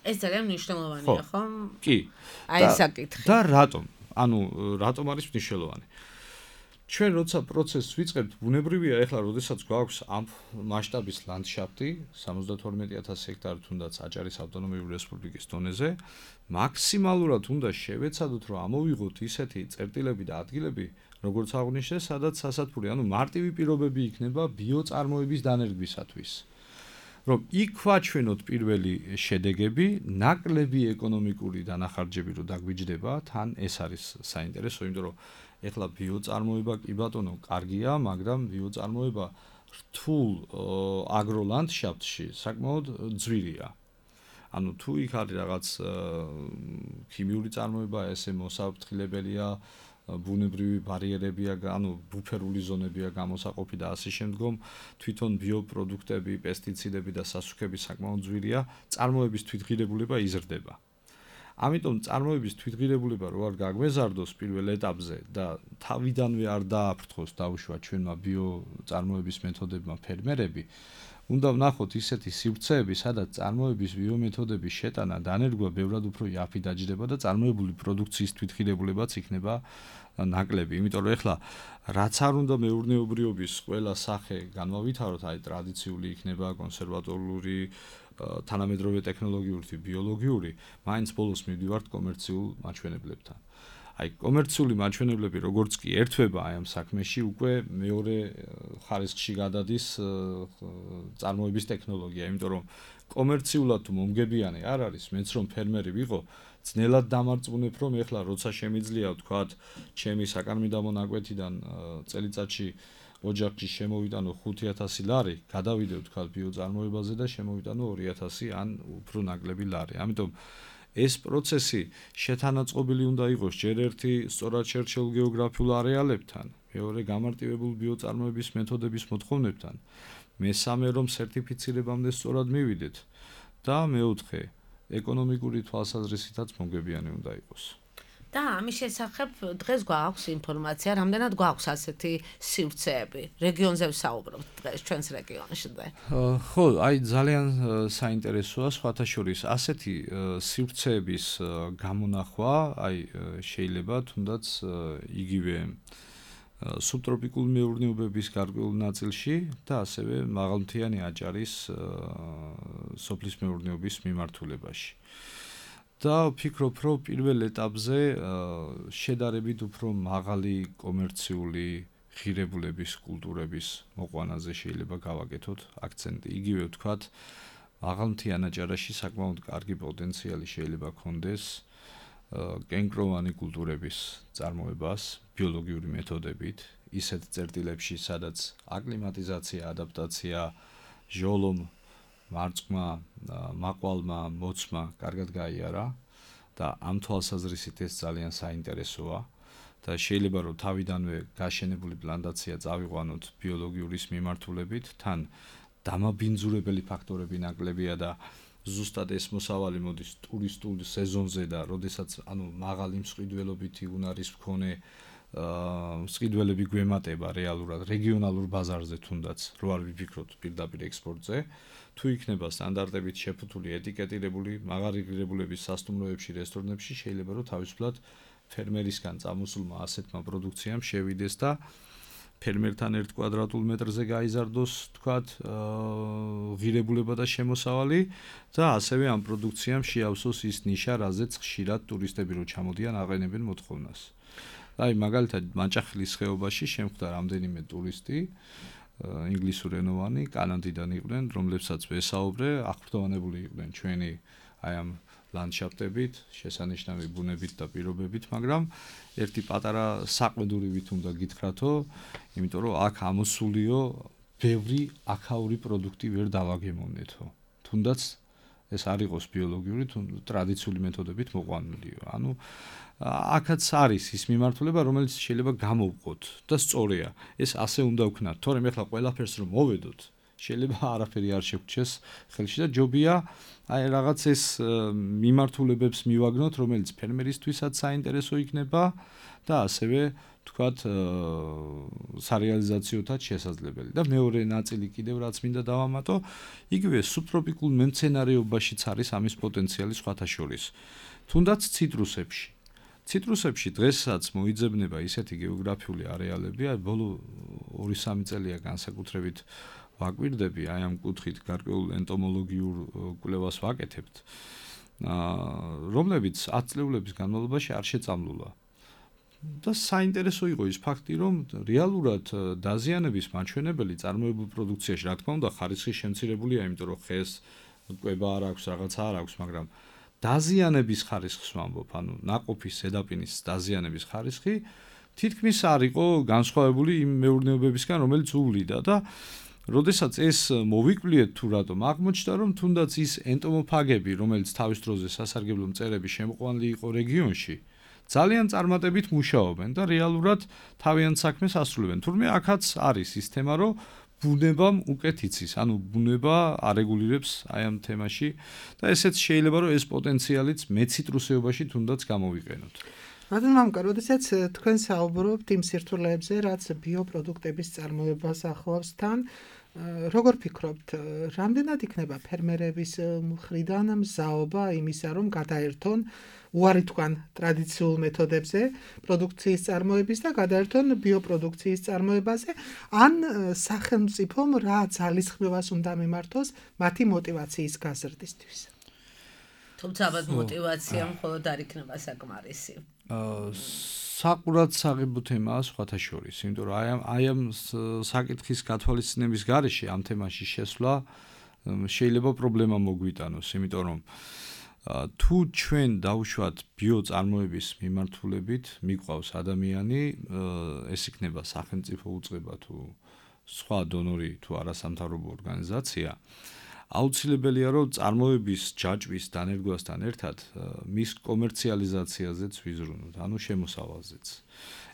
ეს ძალიან მნიშვნელოვანია, ხო? კი. აი ეს საკითხი. და რატომ? ანუ რატომ არის მნიშვნელოვანი? ჩვენ როცა პროცესს ვიწყებთ, ბუნებრივია ეხლა, როდესაც გვაქვს ამ მასშტაბის ლანდშაფტი, სამოცდათორმეტი ათასი ჰექტარი თუნდაც აჭარის ავტონომიური რესპუბლიკის დონეზე, მაქსიმალურად უნდა შევეცადოთ, რომ ამოვიღოთ ისეთი წერტილები და ადგილები, როგორც აღნიშნე, სადაც სასათბური, ანუ მარტივი პირობები იქნება ბიოწარმოების დანერგვისათვის. რომ იქ ვაჩვენოთ პირველი შედეგები, ნაკლები ეკონომიკური დანახარჯები რო დაგვიჯდება, თან ეს არის საინტერესო, იმიტომ რომ ეხლა ბიოწარმოება კი ბატონო, კარგია, მაგრამ ბიოწარმოება რთულ აგროლანდშაფტში საკმაოდ ძვირია. ანუ თუ იქ არის რაღაც ქიმიური წარმოება, ესე მოსაფრთხილებელია, ბუნებრივი ბარიერებია, ანუ ბუფერული ზონებია გამოსაყოფი და ასე შემდგომ, თვითონ ბიოპროდუქტები, პესტიციდები და სასუქები საკმაოდ ძვირია, წარმოების თვითღირებულება იზრდება. ამიტომ წარმოების თვითღირებულება რო არ გაგვეზარდოს პირველ ეტაპზე და თავიდანვე არ დააფრთხოს დაუშვა ჩვენმა ბიოწარმოების მეთოდებმა ფერმერები, უნდა ვნახოთ ისეთი სივრცეები, სადაც წარმოების ბიომეთოდების შეტანა დანერგვა ბევრად უფრო იაფი დაჯდება და წარმოებული პროდუქციის თვითღირებულებაც იქნება ნაკლები. იმიტომ რომ ეხლა რაც არ უნდა მეურნეობრიობის ყველა სახე განვავითაროთ, აი ტრადიციული იქნება კონსერვატორული, თანამედროვე ტექნოლოგიური, ბიოლოგიური, მაინც ბოლოს მივდივართ კომერციულ მაჩვენებლებთან. აი კომერციული მაჩვენებლები როგორც კი ერთვება აი ამ საქმეში, უკვე მეორე ხარისხში გადადის წარმოების ტექნოლოგია, იმიტომ რომ კომერციულად თუ მომგებიანი არ არის, მეც რომ ფერმერი ვიყო, ძნელად დამარწმუნებ, რომ ეხლა როცა შემიძლია ვთქვათ, ჩემი საკარმიდამო ნაკვეთიდან წელიწადში ოჯახში შემოვიტანო ხუთი ათასი ლარი, გადავიდე ვთქვათ ბიოწარმოებაზე და შემოვიტანო ორი ათასი ან უფრო ნაკლები ლარი. ამიტომ ეს პროცესი შეთანაწყობილი უნდა იყოს ჯერ ერთი სწორად შერჩეულ გეოგრაფიულ არეალებთან, მეორე გამარტივებულ ბიოწარმოების მეთოდების მოთხოვნებთან, მესამე რომ სერტიფიცირებამდე სწორად მივიდეთ და მეოთხე ეკონომიკური თვალსაზრისითაც მომგებიანი უნდა იყოს. და ამის შესახებ დღეს გვაქვს ინფორმაცია, რამდენად გვაქვს ასეთი სივრცეები. რეგიონზე ვსაუბრობთ დღეს ჩვენს რეგიონში. ხო, აი ძალიან საინტერესოა სხვათა შორის ასეთი სივრცეების გამონახვა, აი შეიძლება თუნდაც იგივე სუბტროპიკულ მეურნეობების გარკვეულ ნაწილში და ასევე მაღალმთიანი აჭარის სოფლის მეურნეობის მიმართულებაში. და ვფიქრობ, რომ პირველ ეტაპზე შედარებით უფრო მაღალი კომერციული ღირებულების კულტურების მოყვანაზე შეიძლება გავაკეთოთ აქცენტი. იგივე ვთქვათ, მაღალმთიან აჭარაში საკმაოდ კარგი პოტენციალი შეიძლება გქონდეს კენკროვანი კულტურების წარმოებას ბიოლოგიური მეთოდებით, ისეთ წერტილებში, სადაც აკლიმატიზაცია, ადაპტაცია, ჟოლომ მარწყმა, მაყვალმა, მოცმა კარგად გაიარა და ამ თვალსაზრისით ეს ძალიან საინტერესოა. და შეიძლება რომ თავიდანვე გაშენებული პლანტაცია წავიყვანოთ ბიოლოგიურის მიმართულებით, თან დამაბინძურებელი ფაქტორები ნაკლებია და ზუსტად ეს მოსავალი მოდის ტურისტულ სეზონზე და როდესაც ანუ მაღალი მსყიდველობითი უნარის მქონე მსყიდველები გვემატება რეალურად რეგიონალურ ბაზარზე თუნდაც რო არ ვიფიქროთ პირდაპირ ექსპორტზე, თუ იქნება სტანდარტებით შეფუთული ეტიკეტირებული მაღალი ღირებულების სასტუმროებში, რესტორნებში, შეიძლება რომ თავისუფლად ფერმერისგან წამოსულმა ასეთმა პროდუქციამ შევიდეს და ფერმერთან ერთ კვადრატულ მეტრზე გაიზარდოს, თქვათ, ღირებულება და შემოსავალი და ასევე ამ პროდუქციამ შეავსოს ის ნიშა, რაზეც ხშირად ტურისტები რო ჩამოდიან, აყენებენ მოთხოვნას. აი, მაგალითად, მაჭახლის ხეობაში შემხვდა რამდენიმე ტურისტი, ინგლისურენოვანი, კანადიდან იყვნენ, რომლებსაც ვესაუბრე, აღფრთოვანებული იყვნენ ჩვენი აი ამ ლანდშაფტებით, შესანიშნავი ბუნებით და პირობებით, მაგრამ ერთი პატარა საყვედურივით უნდა გითხრათო, იმიტომ რომ აქ ამოსულიო ბევრი აქაური პროდუქტი ვერ დავაგემოვნეთო. თუნდაც ეს არ იყოს ბიოლოგიური, ტრადიციული მეთოდებით მოყვანილიო. ანუ აქაც არის ის მიმართულება, რომელიც შეიძლება გამოვყოთ და სწორია. ეს ასე უნდა ვქნათ, თორემ ეხლა ყველაფერს რომ მოვედოთ, შეიძლება არაფერი არ შეგვჩეს ხელში და ჯობია აი რაღაც ეს მიმართულებებს მივაგნოთ, რომელიც ფერმერისთვისაც საინტერესო იქნება და ასევე თქვათ სარეალიზაციოთაც შესაძლებელი. და მეორე ნაწილი კიდევ რაც მინდა დავამატო, იგივე სუბტროპიკულ მემცენარეობაშიც არის ამის პოტენციალი სხვათა შორის. თუნდაც ციტრუსებში. ციტრუსებში დღესაც მოიძებნება ისეთი გეოგრაფიული არეალები, აი ბოლო ორი სამი წელია განსაკუთრებით ვაკვირდები, აი ამ კუთხით გარკვეულ ენტომოლოგიურ კვლევას ვაკეთებთ, რომლებიც ათი წლეულების განმავლობაში არ შეწამლულა. და საინტერესო იყო ის ფაქტი, რომ რეალურად დაზიანების მაჩვენებელი წარმოებულ პროდუქციაში, რა თქმა უნდა, ხარისხი შემცირებულია, იმიტომ რომ ხეს კვება არ აქვს, რაღაცა არ აქვს, მაგრამ დაზიანების ხარისხს ვამბობ, ანუ ნაყოფის ზედაპირის დაზიანების ხარისხი თითქმის არ იყო განსხვავებული იმ მეურნეობებისგან, რომელიც უვლიდა და როდესაც ეს მოვიკვლიეთ თუ რატომ აღმოჩნდა, რომ თუნდაც ის ენტომოფაგები, რომელიც თავის დროზე სასარგებლო მწერები შემოყვანილი იყო რეგიონში, ძალიან წარმატებით მუშაობენ და რეალურად თავიანთ საქმეს ასრულებენ. თურმე აქაც არის ის თემა, რომ ბუნებამ უკეთ იცის, ანუ ბუნება არეგულირებს აი ამ თემაში და ესეც შეიძლება რომ ეს პოტენციალიც მეციტრუსეობაში თუნდაც გამოვიყენოთ. მაგრამ მამკა, როდესაც თქვენ საუბრობთ იმ სირთულეებზე, რაც ბიოპროდუქტების წარმოებას ახლავს თან, როგორ ფიქრობთ, რამდენად იქნება ფერმერების მხრიდან მზაობა იმისა, რომ გადაერთონ უარი თქვან ტრადიციულ მეთოდებზე პროდუქციის წარმოების და გადაერთონ ბიოპროდუქციის წარმოებაზე, ან სახელმწიფომ რა ძალისხმევას უნდა მიმართოს მათი мотиваციის გაზრდისთვის? თუმცა ალბათ мотиваცია მხოლოდ არ იქნება საკმარისი. საყურად საღებო თემაა სხვათა შორის, იმიტომ რომ აი ამ აი ამ საკითხის გათვალისწინების გარეშე ამ თემაში შესვლა შეიძლება პრობლემა მოგვიტანოს, იმიტომ რომ თუ ჩვენ დავუშვათ ბიოწარმოების მიმართულებით, მიყვავს ადამიანი, ეს იქნება სახელმწიფო უწყება თუ სხვა დონორი თუ არასამთავრობო ორგანიზაცია, აუცილებელია რომ წარმოების ჯაჭვის დანერგვასთან ერთად მის კომერციალიზაციაზეც ვიზრუნოთ, ანუ შემოსავალზეც.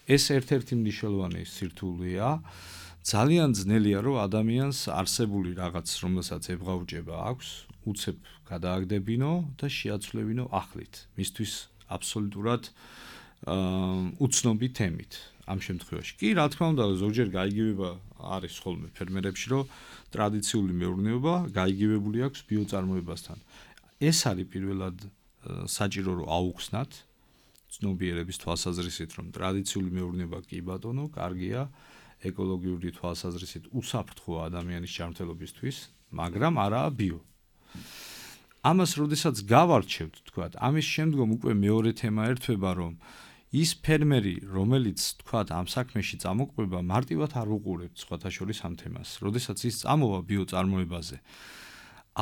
ეს ერთ-ერთი მნიშვნელოვანი სირთულეა. ძალიან ძნელია რომ ადამიანს არსებული რაღაც, რომელსაც ებღაუჭება აქვს, უცებ გადააგდებინო და შეაცვლებინო ახლით. მისთვის აბსოლუტურად უცნობი თემით. ამ შემთხვევაში კი, რა თქმა უნდა, ზოგჯერ გაიგივება არის ხოლმე ფერმერებში, რომ ტრადიციული მეურნეობა გაიგივებული აქვს ბიოწარმოებასთან. ეს არის პირველად საჭირო რომ აუხსნათ ცნობიერების თვალსაზრისით, რომ ტრადიციული მეურნეობა კი ბატონო, კარგია, ეკოლოგიური თვალსაზრისით უსაფრთხოა ადამიანის ჯანმრთელობისთვის, მაგრამ არაა ბიო. ამას როდესაც გავარჩევთ, თქვათ, ამის შემდგომ უკვე მეორე თემა ერთვება, რომ ის ფერმერი, რომელიც თქვათ ამ საქმეში წამოყვება, მარტივად არ უყურებთ სხვათა შორის ამ თემას. როდესაც ის წამოვა ბიოწარმოებაზე,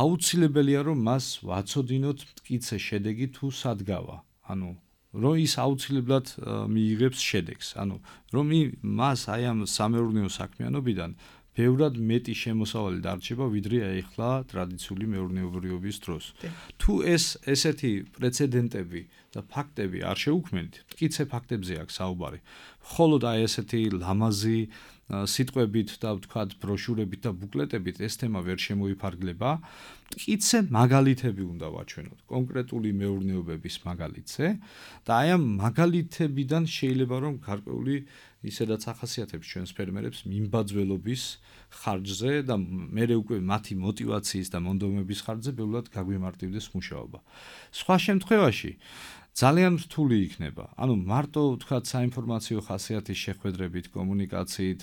აუცილებელია რომ მას ვაცოდინოთ მტკიცე შედეგი თუ სადგავა. ანუ რომ ის აუცილებლად მიიღებს შედეგს. ანუ რომ მას აი ამ სამეურნეო საქმიანობიდან ბევრად მეტი შემოსავალი დარჩება, ვიდრე აიხლა ტრადიციული მეურნეობრიობის დროს. თუ ეს ესეთი პრეცედენტები და ფაქტები არ შეუქმნით, მტკიცე ფაქტებზე აქვს საუბარი. მხოლოდ აი ესეთი ლამაზი სიტყვებით და ვთქვათ ბროშურებით და ბუკლეტებით ეს თემა ვერ შემოიფარგლება. მტკიცე მაგალითები უნდა ვაჩვენოთ, კონკრეტული მეურნეობების მაგალითზე და აი ამ მაგალითებიდან შეიძლება რომ გარკვეული ისედაც ახასიათებს ჩვენს ფერმერებს მიმბაძველობის ხარჯზე და მერე უკვე მათი мотиваციის და მონდომების ხარჯზე ბევრად გაგვიმარტივდეს მუშაობა. სხვა შემთხვევაში ძალიან რთული იქნება. ანუ მარტო ვთქვათ საინფორმაციო ხასიათის შეხვედრებით, კომუნიკაციით,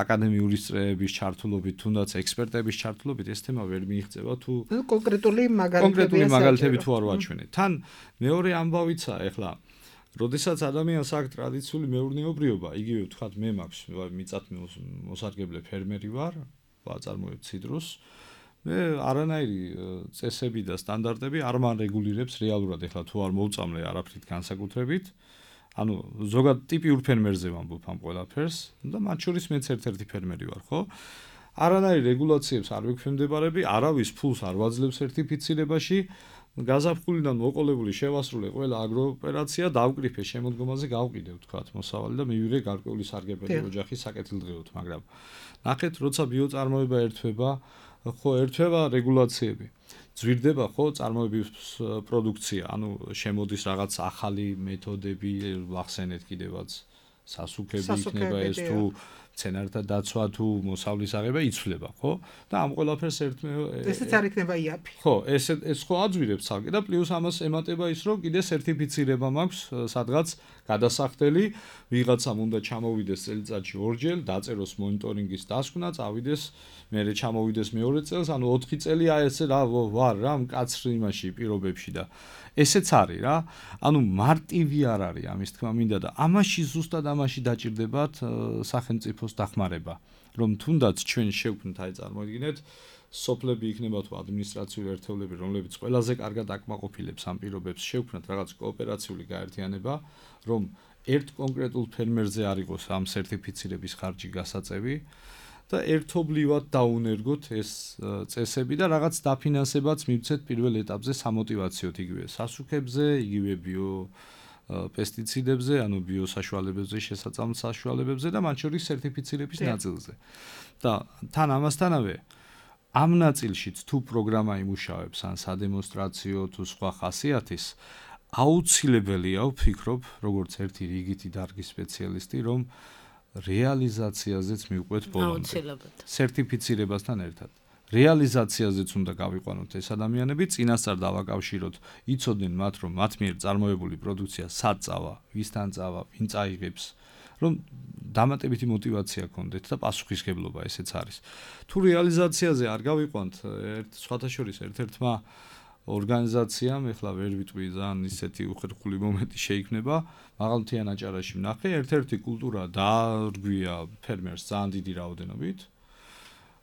აკადემიური წრეების ჩართულობით, თუნდაც ექსპერტების ჩართულობით ეს თემა ვერ მიიღწევა თუ კონკრეტული მაგალითები კონკრეტული მაგალითები თუ არ ვაჩვენეთ. თან მეორე ამბავიცა ეხლა როდესაც ადამიანს აქვს ტრადიციული მეურნეობრიობა, იგივე ვთქვათ მე მაქვს მიწათ მოსარგებლე ფერმერი ვარ, ვაწარმოებ ციტრუსს. მე არანაირი წესები და სტანდარტები არ მარეგულირებს რეალურად ეხლა თუ არ მოვწამლე არაფრით განსაკუთრებით. ანუ ზოგად ტიპიურ ფერმერზე ვამბობ ამ ყველაფერს და მათ შორის მეც ერთ-ერთი ფერმერი ვარ, ხო? არანაირი რეგულაციებს არ ვიქვემდებარები, არავის ფულს არ ვაძლევ სერტიფიცირებაში. გაზაფხულიდან მოყოლებული შევასრულე ყველა აგროოპერაცია დავკრიფე შემოდგომაზე გავყიდე ვთქვათ მოსავალი და მივიღე გარკვეული სარგებელი ოჯახის საკეთილდღეოდ, მაგრამ ნახეთ როცა ბიოწარმოება ერთვება, ხო ერთვება რეგულაციები. ძვირდება ხო წარმოების პროდუქცია, ანუ შემოდის რაღაც ახალი მეთოდები, ვახსენეთ კიდევაც სასუქები იქნება ეს თუ მცენარეთა დაცვა თუ მოსავლის აღება იცვლება, ხო? და ამ ყველაფერს ერთმე ესეც არ იქნება იაფი. ხო, ეს ეს ხო აძვირებს ცალკე და პლუს ამას ემატება ის, რომ კიდე სერტიფიცირება მაქვს სადღაც გადასახდელი, ვიღაცამ უნდა ჩამოვიდეს წელიწადში ორჯერ, დაწეროს მონიტორინგის დასკვნა, წავიდეს, მერე ჩამოვიდეს მეორე წელს, ანუ ოთხი წელი აი ესე რა ვარ რა მკაცრ იმაში პირობებში და ესეც არის რა. ანუ მარტივი არ არის ამის თქმა მინდა და ამაში ზუსტად ამაში დაჭირდებათ სახელმწიფოს დახმარება, რომ თუნდაც ჩვენ შევქმნით, აი წარმოიდგინეთ, სოფლები იქნება თუ ადმინისტრაციული ერთეულები, რომლებიც ყველაზე კარგად აკმაყოფილებს ამ პირობებს, შევქმნათ რაღაც კოოპერაციული გაერთიანება, რომ ერთ კონკრეტულ ფერმერზე არ იყოს ამ სერტიფიცირების ხარჯი გასაწევი და ერთობლივად დაუნერგოთ ეს წესები და რაღაც დაფინანსებაც მივცეთ პირველ ეტაპზე სამოტივაციოდ იგივე სასუქებზე, იგივე ბიო პესტიციდებზე, ანუ ბიოსაშუალებებზე, შესაძლო საშუალებებზე და მათ შორის სერტიფიცირების ნაწილზე. და თან ამასთანავე ამ ნაწილშიც თუ პროგრამა იმუშავებს ან სადემონსტრაციო თუ სხვა ხასიათის აუცილებელია ვფიქრობ, როგორც ერთი რიგითი დარგის სპეციალისტი, რომ რეალიზაციაზეც მივყვეთ ბოლომდე. სერტიფიცირებასთან ერთად. რეალიზაციაზეც უნდა გავიყვანოთ ეს ადამიანები, წინასწარ დავაკავშიროთ, იცოდნენ მათ, რომ მათ მიერ წარმოებული პროდუქცია სად წავა, ვისთან წავა, ვინ წაიღებს, რომ დამატებითი мотиваცია გქონდეთ და პასუხისგებლობა ესეც არის. თუ რეალიზაციაზე არ გავიყვანთ, ერთ სხვათა შორის ერთ-ერთმა ორგანიზაციამ, ეხლა ვერ ვიტყვი ძალიან ისეთი უხერხული მომენტი შეიქმნება, მაღალმთიან აჭარაში ვნახე, ერთ-ერთი კულტურა დაარგვია ფერმერს ძალიან დიდი რაოდენობით.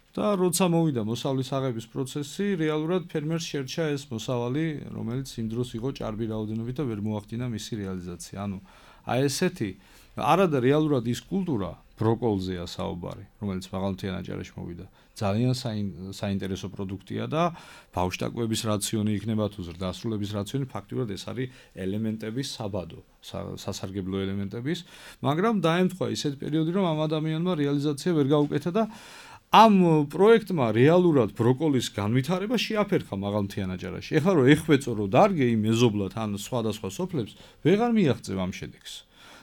და როცა მოვიდა მოსავლის აღების პროცესი, რეალურად ფერმერს შერჩა ეს მოსავალი, რომელიც იმ დროს იყო ჭარბი რაოდენობით და ვერ მოახდინა მისი რეალიზაცია. ანუ აი ესეთი არადა რეალურად ის კულტურა ბროკოლზეა საუბარი, რომელიც მაღალმთიან აჭარაში მოვიდა. ძალიან საინტერესო პროდუქტია და ბავშვთაკვების რაციონი იქნება თუ ზრდასრულების რაციონი, ფაქტიურად ეს არის ელემენტების საბადო, სასარგებლო ელემენტების, მაგრამ დაემთხვა ისეთ პერიოდი, რომ ამ ადამიანმა რეალიზაცია ვერ გაუკეთა და ამ პროექტმა რეალურად ბროკოლის განვითარება შეაფერხა მაღალმთიან აჭარაში. ეხლა რომ ეხვეწო რომ დარგე იმ მეზობლად ან სხვადასხვა სოფლებს, ვეღარ მიაღწევ ამ შედეგს.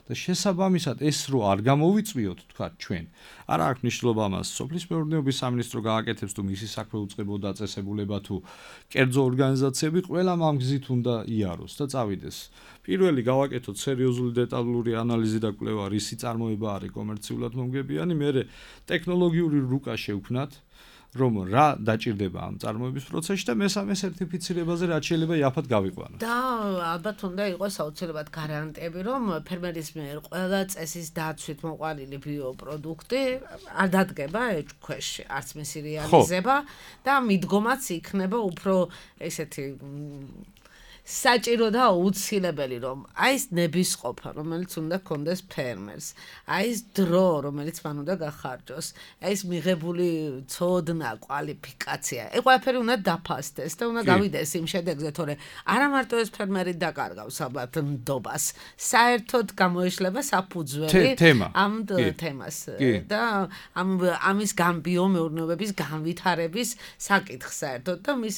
და შესაბამისად ეს რო არ გამოვიწვიოთ, თქვა ჩვენ. არა აქვს მნიშვნელობა ამას, სოფლის მეურნეობის სამინისტრო გააკეთებს თუ მისი საქმე უწყებო დაწესებულება თუ კერძო ორგანიზაციები, ყველამ ამ გზით უნდა იაროს და წავიდეს. პირველი გავაკეთოთ სერიოზული დეტალური ანალიზი და კვლევა, რისი წარმოება არის კომერციულად მომგებიანი, მერე ტექნოლოგიური რუკა შევქმნათ, რომ რა დაჭირდება ამ წარმოების პროცესში და მესამე სერტიფიცირებაზე რაც შეიძლება იაფად გავიყვანოთ. და ალბათ უნდა იყოს აუცილებლად გარანტიები, რომ ფერმერის მიერ ყველა წესის დაცვით მოყვანილი ბიოპროდუქტი არ დადგება ეჭქვეშ, არც მისი რეალიზება და მიდგომაც იქნება უფრო ესეთი საჭირო და აუცილებელი რომ აი ეს ნებისყოფა რომელიც უნდა გქონდეს ფერმერს აი ეს დრო რომელიც მან უნდა გახარჯოს აი ეს მიღებული ცოდნა კვალიფიკაცია ეს ყველაფერი უნდა დაფასდეს და უნდა გავიდეს იმ შედეგზე თორე არა მარტო ეს ფერმერი დაკარგავს ალბათ ნდობას საერთოდ გამოიშლება საფუძველი ამ თემას და ამ ამის გამბიომეურნეობების განვითარების საკითხს საერთოდ და მის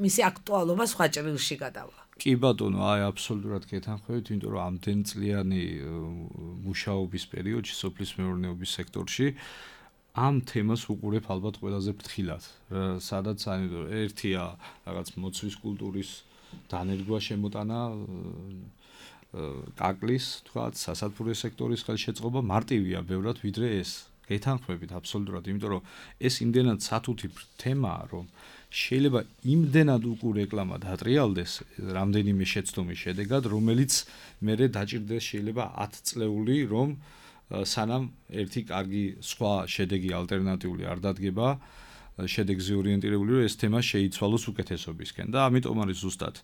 მისი აქტუალობა სხვა ჭრილში გადავა კი ბატონო, აი აბსოლუტურად გეთანხმებით, იმიტომ რომ ამდენწლიანი მუშაობის პერიოდში სოფლის მეურნეობის სექტორში ამ თემას უყურებ ალბათ ყველაზე ფრთხილად. სადაც აი ერთია რაღაც მოცვის კულტურის დანერგვა შემოტანა კაკლის, თქვათ, სასათბურე სექტორის ხელშეწყობა მარტივია ბევრად ვიდრე ეს. გეთანხმებით აბსოლუტურად, იმიტომ რომ ეს იმდენად სათუთი თემაა, რომ შეიძლება იმდენად უკუ რეკლამა დატრიალდეს რამდენიმე შეცდომის შედეგად, რომელიც მერე დაჭირდეს შეიძლება ათი წლეული, რომ სანამ ერთი კარგი სხვა შედეგი ალტერნატიული არ დადგება, შედეგზე ორიენტირებული, რომ ეს თემა შეიცვალოს უკეთესობისკენ და ამიტომ არის ზუსტად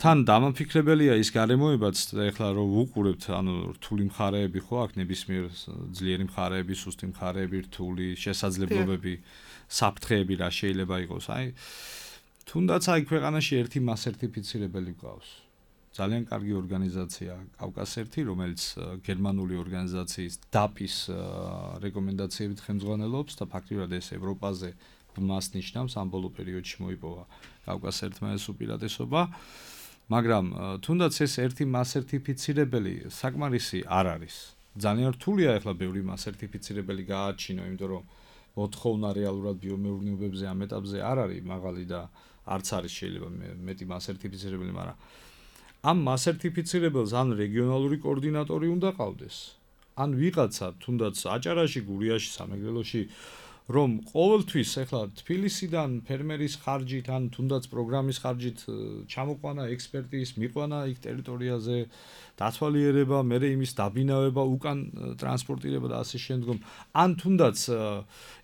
თან დამაფიქრებელია ის გარემოებაც ეხლა რომ ვუყურებთ, ანუ რთული მხარეები ხო აქ ნებისმიერ ძლიერი მხარეები, სუსტი მხარეები, რთული შესაძლებლობები საფრთხეები რა შეიძლება იყოს. აი თუნდაც აი ქვეყანაში ერთი მასერტიფიცირებელი გყავს. ძალიან კარგი ორგანიზაცია კავკასერთი, რომელიც გერმანული ორგანიზაციის დაპის რეკომენდაციებით ხელმძღვანელობს და ფაქტიურად ეს ევროპაზე მას ნიშნავს ამ ბოლო პერიოდში მოიპოვა კავკასერთმა ეს უპირატესობა. მაგრამ თუნდაც ეს ერთი მასერტიფიცირებელი საკმარისი არ არის. ძალიან რთულია ახლა ბევრი მასერტიფიცირებელი გააჩინო, იმიტომ რომ მოთხოვნა რეალურად ბიომეურნეობებზე ამ ეტაპზე არ არის მაღალი და არც არის შეიძლება მეტი მასერტიფიცირებელი, მაგრამ ამ მასერტიფიცირებელს ან რეგიონალური კოორდინატორი უნდა ყავდეს, ან ვიღაცა თუნდაც აჭარაში, გურიაში, სამეგრელოში, რომ ყოველთვის ახლა თბილისიდან ფერმერის ხარჯით ან თუნდაც პროგრამის ხარჯით ჩამოყვანა ექსპერტის, მიყვანა იქ ტერიტორიაზე, დათვალიერება, მერე იმის დაბინავება, უკან ტრანსპორტირება და ასე შემდგომ. ან თუნდაც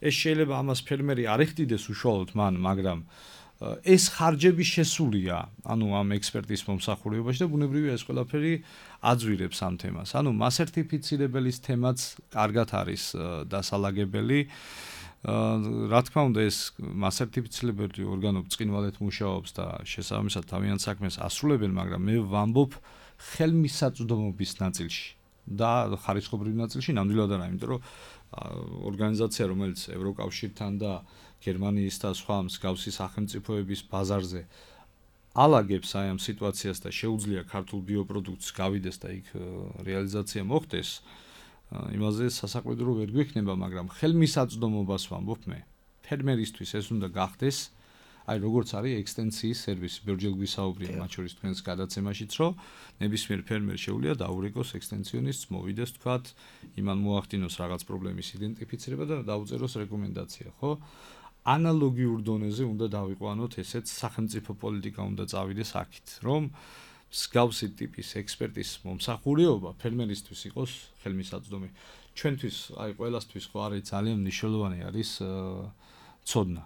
ეს შეიძლება ამას ფერმერი არ ეხდიდეს უშუალოდ მან, მაგრამ ეს ხარჯები შესულია, ანუ ამ ექსპერტის მომსახურებაში და ბუნებრივია ეს ყველაფერი აძვირებს ამ თემას. ანუ მასერტიფიცირებელის თემაც კარგად არის დასალაგებელი. რა თქმა უნდა ეს მასერტიფიცირებელი ორგანო ბრწყინვალედ მუშაობს და შესაბამისად თავიანთ საქმეს ასრულებენ, მაგრამ მე ვამბობ ხელმისაწვდომობის ნაწილში და ხარისხობრივ ნაწილში ნამდვილად არა, იმიტომ რომ ორგანიზაცია, რომელიც ევროკავშირთან და გერმანიის და სხვა მსგავსი სახელმწიფოების ბაზარზე ალაგებს აი ამ სიტუაციას და შეუძლია ქართულ ბიოპროდუქტს გავიდეს და იქ რეალიზაცია მოხდეს, იმაზე სასაყვედრო ვერ გვექნება, მაგრამ ხელმისაწვდომობას ვამბობ მე. ფერმერისთვის ეს უნდა გახდეს, აი როგორც არის ექსტენსიის სერვისი, ბევრჯერ გვისაუბრია მათ შორის თქვენს გადაცემაშიც, რომ ნებისმიერ ფერმერ შეუძლია დაურეკოს ექსტენსიონისტს, მოვიდეს თქვათ, იმან მოახდინოს რაღაც პრობლემის იდენტიფიცირება და დაუწეროს რეკომენდაცია, ხო? ანალოგიურ დონეზე უნდა დავიყვანოთ ესეც სახელმწიფო პოლიტიკა უნდა წავიდეს აქეთ, რომ მსგავსი ტიპის ექსპერტის მომსახურეობა ფერმერისთვის იყოს ხელმისაწვდომი. ჩვენთვის, აი ყველასთვის ხო არის ძალიან მნიშვნელოვანი არის ცოდნა.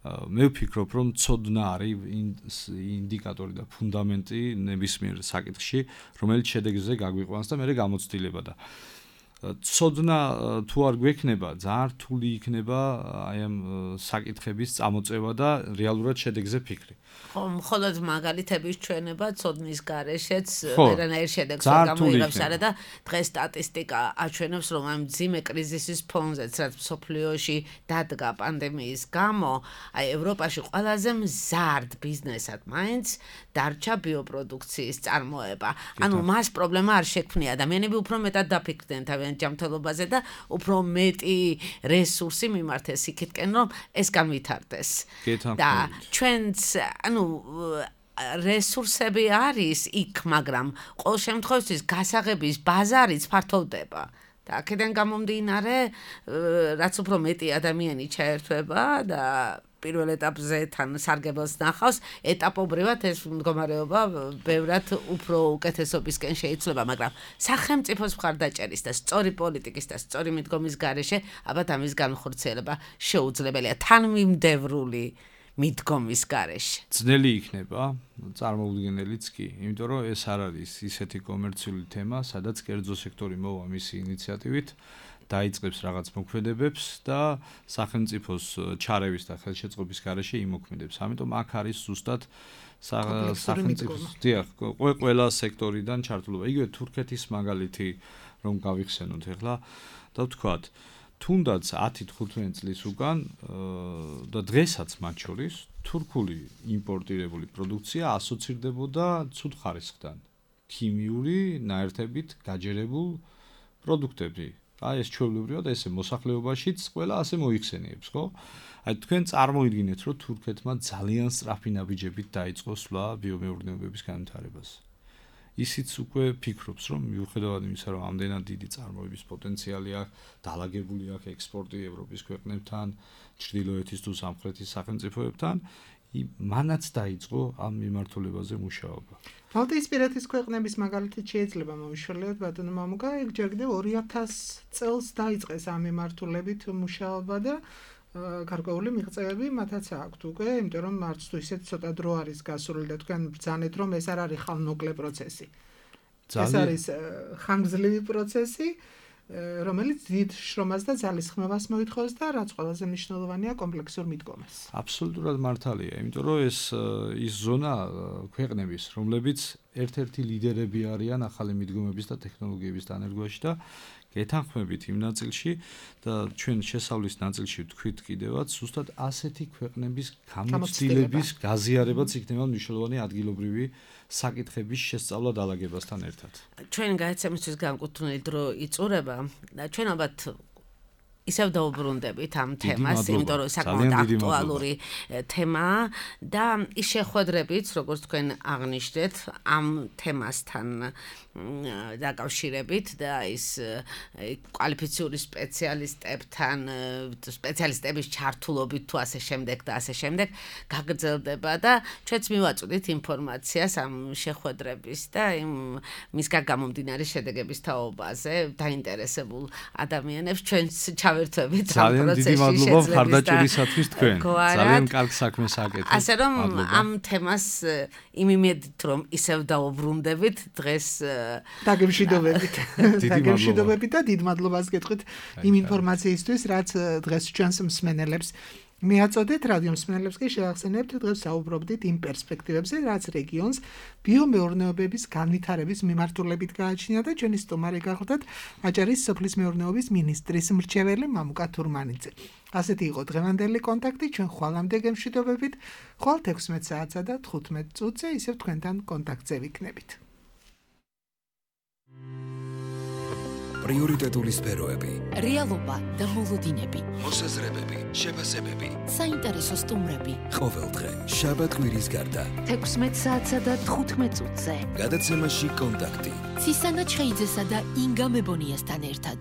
მე ვფიქრობ, რომ ცოდნა არის ინდიკატორი და ფუნდამენტი ნებისმიერ საკითხში, რომელიც შედეგზე გაგვიყვანს და მე გამოცდილება და ცოდნა თუ არ გვექნება, ძალიან რთული იქნება აი ამ საკითხების წამოწევა და რეალურად შედეგზე ფიქრი. ხო, მხოლოდ მაგალითების ჩვენება ცოდნის გარეშეც ვერანაირ შედეგს გამოიღებს არა და დღეს სტატისტიკა აჩვენებს, რომ ამ ძიმე კრიზისის ფონზეც, რაც მსოფლიოში დადგა პანდემიის გამო, აი ევროპაში ყველაზე მზარდ ბიზნესად მაინც დარჩა ბიოპროდუქციის წარმოება. ანუ მას პრობლემა არ შექმნია, ადამიანები უფრო მეტად დაფიქრდნენ თავიანთ ჯანმრთელობაზე და უფრო მეტი რესურსი მიმართეს იქითკენ, რომ ეს განვითარდეს. და ჩვენც ანუ რესურსები არის იქ, მაგრამ ყოველ შემთხვევაში გასაღების ბაზარიც ფართოვდება. და აქედან გამომდინარე, რაც უფრო მეტი ადამიანი ჩაერთვება და პირველ ეტაპზე თან სარგებელს ნახავს, ეტაპობრივად ეს მდგომარეობა ბევრად უფრო უკეთესობისკენ შეიძლება, მაგრამ სახელმწიფოს მხარდაჭერის და სწორი პოლიტიკის და სწორი მიდგომის გარეშე, ალბათ ამის განხორციელება შეუძლებელია. თანმიმდევრული მიდგომის გარეშე. ძნელი იქნება, წარმოუდგენელიც კი, იმიტომ რომ ეს არ არის ისეთი კომერციული თემა, სადაც კერძო სექტორი მოვა მისი ინიციატივით, დაიწყებს რაღაც მოქმედებებს და სახელმწიფოს ჩარევის და ხელშეწყობის გარეშე იმოქმედებს. ამიტომ აქ არის ზუსტად სახელმწიფოს დიახ, ყველა სექტორიდან ჩართულობა. იგივე თურქეთის მაგალითი რომ გავიხსენოთ ახლა და ვთქვათ, თუნდაც ათი თხუთმეტი წლის უკან და დღესაც მათ შორის თურქული იმპორტირებული პროდუქცია ასოცირდებოდა ცუდ ხარისხთან. ქიმიური ნაერთებით გაჯერებულ პროდუქტები. აი ეს ჩვეულებრივად ესე მოსახლეობაშიც ყველა ასე მოიხსენიებს, ხო? აი თქვენ წარმოიდგინეთ, რომ თურქეთმა ძალიან სწრაფი ნაბიჯებით დაიწყო სვლა ბიომეურნეობების განვითარებას. ისიც უკვე ფიქრობს, რომ მიუხედავად იმისა, რომ ამდენად დიდი წარმოების პოტენციალი აქვს, დაალაგებული აქვს ექსპორტი ევროპის ქვეყნებთან, ჩრდილოეთის თუ სამხრეთის სახელმწიფოებთან, მანაც დაიწყო ამ მიმართულებაზე მუშაობა. ბალტიისპირეთის ქვეყნების მაგალითად შეიძლება მომიშველიოთ ბატონო მამუკა, ეგ ჯერ კიდევ ორი ათასი წელს დაიწყეს ამ მიმართულებით მუშაობა და გარკვეული მიღწევები მათაც აქვთ უკვე, იმიტომ რომ არც თუ ისეთ ცოტა დრო არის გასული და თქვენ ბრძანეთ, რომ ეს არ არის ხანმოკლე პროცესი. ეს არის ხანგრძლივი პროცესი, რომელიც დიდ შრომას და ძალისხმევას მოითხოვს და რაც ყველაზე მნიშვნელოვანია კომპლექსურ მიდგომას. აბსოლუტურად მართალია, იმიტომ რომ ეს ის ზონა ქვეყნების, რომლებიც ერთ-ერთი ლიდერები არიან ახალი მიდგომების და ტექნოლოგიების დანერგვაში და გეთანხმებით იმ ნაწილში და ჩვენ შესავლის ნაწილში ვთქვით კიდევაც, ზუსტად ასეთი ქვეყნების გამოცდილების გაზიარებაც იქნება მნიშვნელოვანი ადგილობრივი საკითხების შესწავლა დაალაგებასთან ერთად. ჩვენ გაიცემისთვის განკუთვნილი დრო იწურება და ჩვენ ალბათ ისევ დაუბრუნდებით ამ თემას, იმიტომ რომ საკმაოდ აქტუალური თემაა და ის შეხვედრებით, როგორც თქვენ აღნიშნეთ, ამ თემასთან დაკავშირებით და ის კვალიფიციური სპეციალისტებთან, სპეციალისტების ჩართულობით თუ ასე შემდეგ და ასე შემდეგ გაგრძელდება და ჩვენც მივაწვდით ინფორმაციას ამ შეხვედრების და იმ მისგან გამომდინარე შედეგების თაობაზე დაინტერესებულ ადამიანებს ჩვენც ჩავერთვებით ამ პროცესში. ძალიან დიდი მადლობა მხარდაჭერისათვის თქვენ. ძალიან კარგ საქმეს აკეთებთ. ასე რომ ამ თემას იმ იმედით რომ ისევ დაუბრუნდებით დღეს დაგემშვიდობებით. დაგემშვიდობებით და დიდ მადლობას გეტყვით იმ ინფორმაციისთვის, რაც დღეს ჩვენს მსმენელებს მიაწოდეთ. რადიო მსმენელებს კი შევახსენებთ, დღეს საუბრობდით იმ პერსპექტივებზე, რაც რეგიონს ბიომეურნეობების განვითარების მიმართულებით გააჩნია და ჩვენი სტუმარი გახლდათ აჭარის სოფლის მეურნეობის მინისტრის მრჩეველი მამუკა თურმანიძე. ასეთი იყო დღევანდელი კონტაქტი, ჩვენ ხვალამდე გემშვიდობებით. ხვალ ექვსმეტ საათსა და თხუთმეტ წუთზე ისევ თქვენთან კონტაქტზე ვიქნებით. პრიორიტეტული სფეროები, რეალობა და მოლოდინები, მოსაზრებები, შეფასებები, საინტერესო სტუმრები. ყოველდღე შაბათ კვირის გარდა ექვსმეტ საათსა და თხუთმეტ წუთზე გადაცემაში კონტაქტი. ცისანა ჩხეიძესა და ინგა მებონიასთან ერთად.